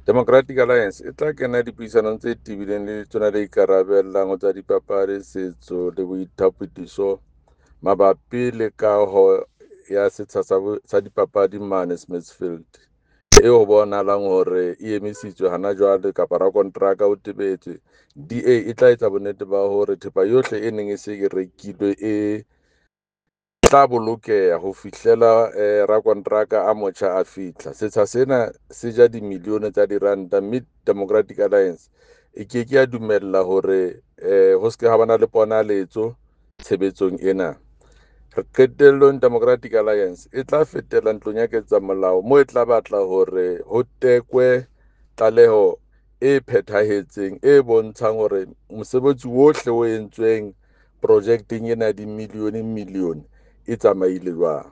Democratic Alliance e tla kena dipuisanong tse tebileng le letona le ikarabellang ho tsa Dipapadi, Setso le Boitapodiso mabapi le kaho ya setsha sa dipapadi mane Smithfield, eo ho bonahalang hore e emisitswe hana jwale kapa rakonteraka o tebetswe. DA e tla etsa bonnete ba hore thepa yohle e neng e se e rekilwe e tla bolokeha ho fihlela rakonteraka a motjha a fihla. Setsha sena se ja dimilione tsa diranta mme Democratic Alliance e ke ke ya dumella hore ho se ke ha ba na le ponaletso tshebetsong ena. Qetellong Democratic Alliance e tla fetela ntlong ya ketsamolao moo e tla batla hore ho tekwe tlaleho e phethahetseng e bontshang hore mosebetsi wohle o entsweng projekeng ena ya dimilione milione e tsamaile jwang.